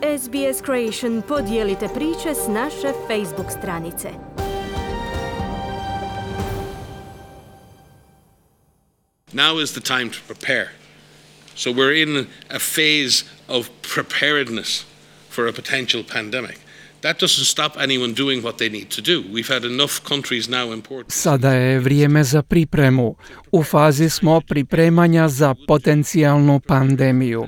SBS Creation podijelite priče s naše Facebook stranice. Now is the time to prepare. So we're in a phase of preparedness for a potential pandemic. That doesn't stop anyone doing what they need to do. We've had enough countries now import. Sada je vrijeme za pripremu. U fazi smo pripremanja za potencijalnu pandemiju.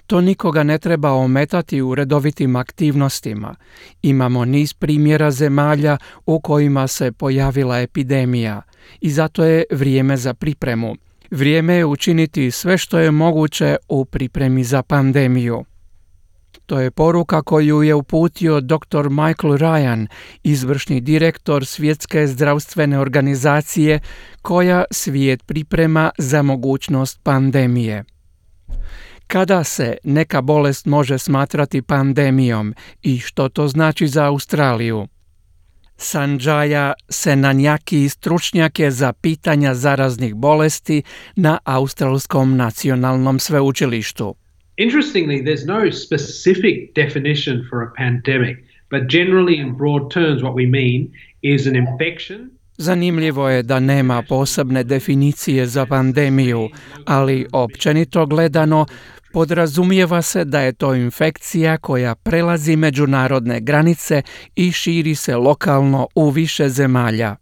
To nikoga ne treba ometati u redovitim aktivnostima. Imamo niz primjera zemalja u kojima se pojavila epidemija i zato je vrijeme za pripremu. Vrijeme je učiniti sve što je moguće u pripremi za pandemiju. To je poruka koju je uputio dr. Michael Ryan, izvršni direktor Svjetske zdravstvene organizacije, koja svijet priprema za mogućnost pandemije. Kada se neka bolest može smatrati pandemijom i što to znači za Australiju? Sanjaya Senanjaki stručnjak je za pitanja zaraznih bolesti na Australskom nacionalnom sveučilištu. Interestingly, there's no specific definition for a pandemic, but generally in broad terms what we mean is an infection. Zanimljivo je da nema posebne definicije za pandemiju, ali općenito gledano podrazumijeva se da je to infekcija koja prelazi međunarodne granice i širi se lokalno u više zemalja.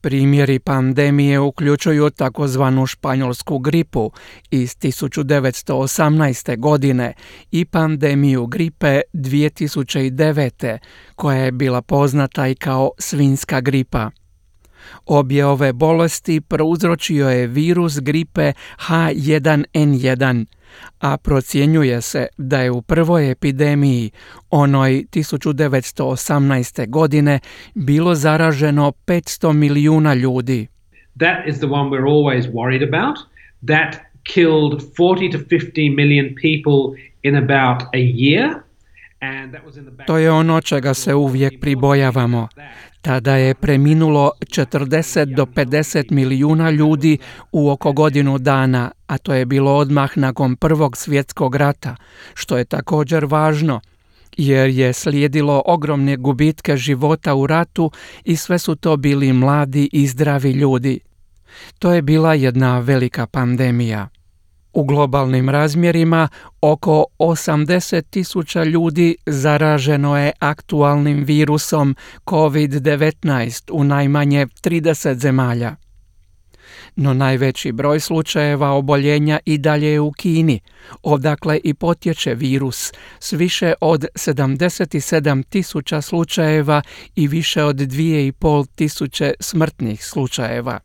Primjeri pandemije uključuju takozvanu španjolsku gripu iz 1918. godine i pandemiju gripe 2009. koja je bila poznata i kao svinjska gripa. Obje ove bolesti prouzročio je virus gripe H1N1, a procjenjuje se da je u prvoj epidemiji, onoj 1918. godine, bilo zaraženo 500 milijuna ljudi. That is the one we're always worried about. That killed 40 to 50 million people in about a year. To je ono čega se uvijek pribojavamo. Tada je preminulo 40 do 50 milijuna ljudi u oko godinu dana, a to je bilo odmah nakon Prvog svjetskog rata, što je također važno, jer je slijedilo ogromne gubitke života u ratu i sve su to bili mladi i zdravi ljudi. To je bila jedna velika pandemija. U globalnim razmjerima oko 80.000 ljudi zaraženo je aktualnim virusom COVID-19 u najmanje 30 zemalja. No najveći broj slučajeva oboljenja i dalje je u Kini, odakle i potječe virus, s više od 77.000 slučajeva i više od 2.500 smrtnih slučajeva.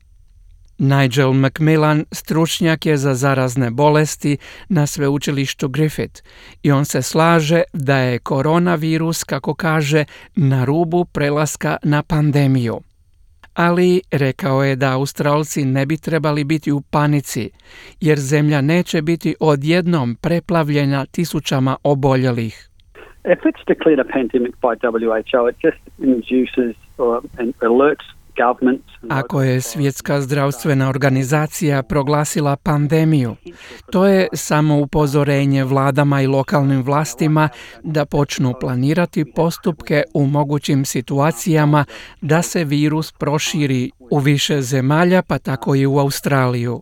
Nigel McMillan stručnjak je za zarazne bolesti na sveučilištu Griffith i on se slaže da je koronavirus, kako kaže, na rubu prelaska na pandemiju. Ali rekao je da Australci ne bi trebali biti u panici, jer zemlja neće biti odjednom preplavljena tisućama oboljelih. If it's declared a pandemic by WHO, it just induces and alerts. Ako je Svjetska zdravstvena organizacija proglasila pandemiju, to je samo upozorenje vladama i lokalnim vlastima da počnu planirati postupke u mogućim situacijama da se virus proširi u više zemalja, pa tako i u Australiju.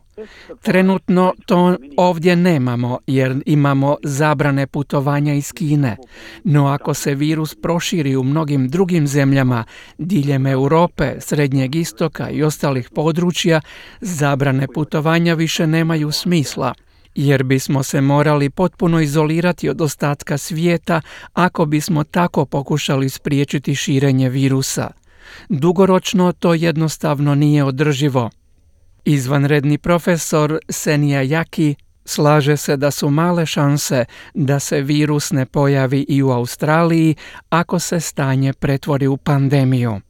Trenutno to ovdje nemamo jer imamo zabrane putovanja iz Kine, no ako se virus proširi u mnogim drugim zemljama diljem Europe, Srednjeg istoka i ostalih područja, zabrane putovanja više nemaju smisla, jer bismo se morali potpuno izolirati od ostatka svijeta ako bismo tako pokušali spriječiti širenje virusa. Dugoročno to jednostavno nije održivo. Izvanredni profesor Senanjaki slaže se da su male šanse da se virus ne pojavi i u Australiji ako se stanje pretvori u pandemiju.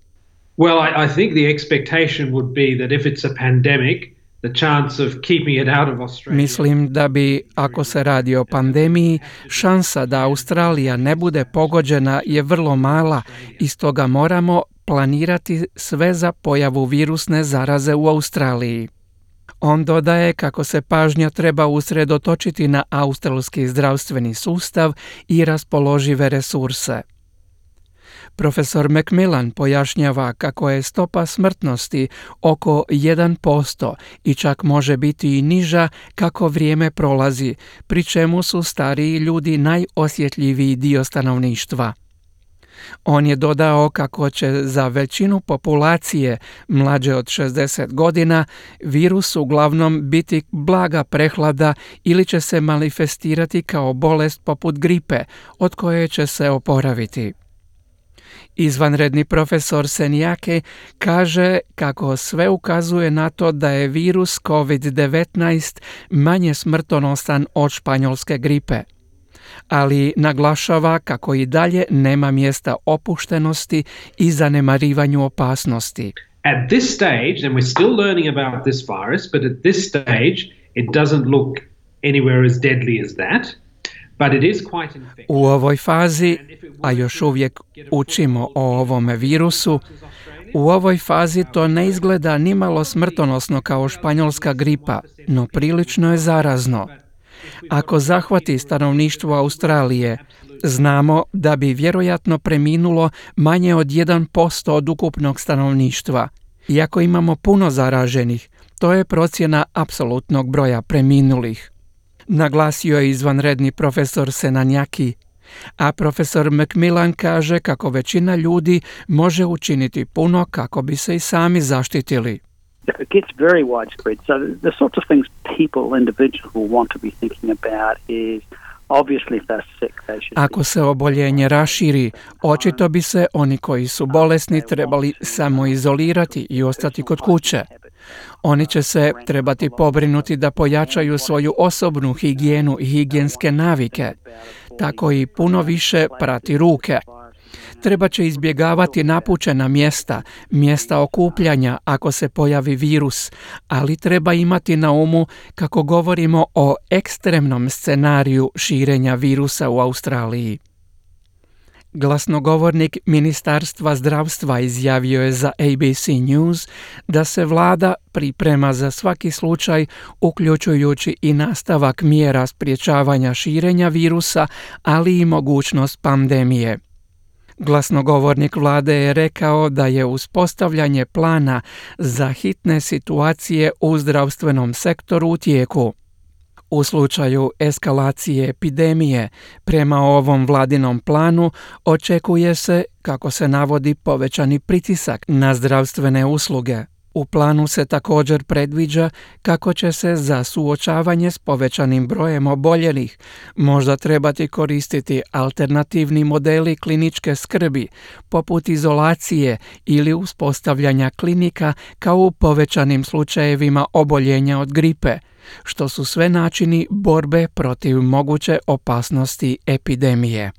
Well, I think the expectation would be that if it's a pandemic, the chance of keeping it out of Australia. Mislim da bi, ako se radi o pandemiji, šansa da Australija ne bude pogođena je vrlo mala i stoga moramo planirati sve za pojavu virusne zaraze u Australiji. On dodaje kako se pažnja treba usredotočiti na australski zdravstveni sustav i raspoložive resurse. Profesor Macmillan pojašnjava kako je stopa smrtnosti oko 1% i čak može biti i niža kako vrijeme prolazi, pri čemu su stariji ljudi najosjetljiviji dio stanovništva. On je dodao kako će za većinu populacije mlađe od 60 godina virus uglavnom biti blaga prehlada ili će se manifestirati kao bolest poput gripe od koje će se oporaviti. Izvanredni profesor Senjake kaže kako sve ukazuje na to da je virus COVID-19 manje smrtonosan od španjolske gripe, ali naglašava kako i dalje nema mjesta opuštenosti i zanemarivanju opasnosti. At this stage, and we're still learning about this virus, but at this stage it doesn't look anywhere as deadly as that. But it is quite infectious. U ovoj fazi, a još uvijek učimo o ovome virusu, u ovoj fazi to ne izgleda nimalo smrtonosno kao španjolska gripa, no prilično je zarazno. Ako zahvati stanovništvo Australije, znamo da bi vjerojatno preminulo manje od 1% od ukupnog stanovništva. Iako imamo puno zaraženih, to je procjena apsolutnog broja preminulih. Naglasio je izvanredni profesor Senanjaki, a profesor Macmillan kaže kako većina ljudi može učiniti puno kako bi se i sami zaštitili. If it gets very widespread, so the sorts of things people, individuals will want to be thinking about is obviously if they're sick, they should Ako se oboljenje raširi, očito bi se oni koji su bolesni trebali samoizolirati i ostati kod kuće. Oni će se trebati pobrinuti da pojačaju svoju osobnu higijenu i higijenske navike, tako i puno više prati ruke. Treba će izbjegavati napučena mjesta okupljanja ako se pojavi virus, ali treba imati na umu kako govorimo o ekstremnom scenariju širenja virusa u Australiji. Glasnogovornik Ministarstva zdravstva izjavio je za ABC News da se vlada priprema za svaki slučaj, uključujući i nastavak mjera sprječavanja širenja virusa, ali i mogućnost pandemije. Glasnogovornik vlade je rekao da je uspostavljanje plana za hitne situacije u zdravstvenom sektoru u tijeku. U slučaju eskalacije epidemije, prema ovom vladinom planu, očekuje se, kako se navodi, povećani pritisak na zdravstvene usluge. U planu se također predviđa kako će se za suočavanje s povećanim brojem oboljelih možda trebati koristiti alternativni modeli kliničke skrbi, poput izolacije ili uspostavljanja klinika kao u povećanim slučajevima oboljenja od gripe, što su sve načini borbe protiv moguće opasnosti epidemije.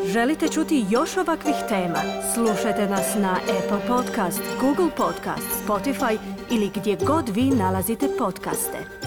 Želite čuti još ovakvih tema? Slušajte nas na Apple Podcast, Google Podcast, Spotify ili gdje god vi nalazite podcaste.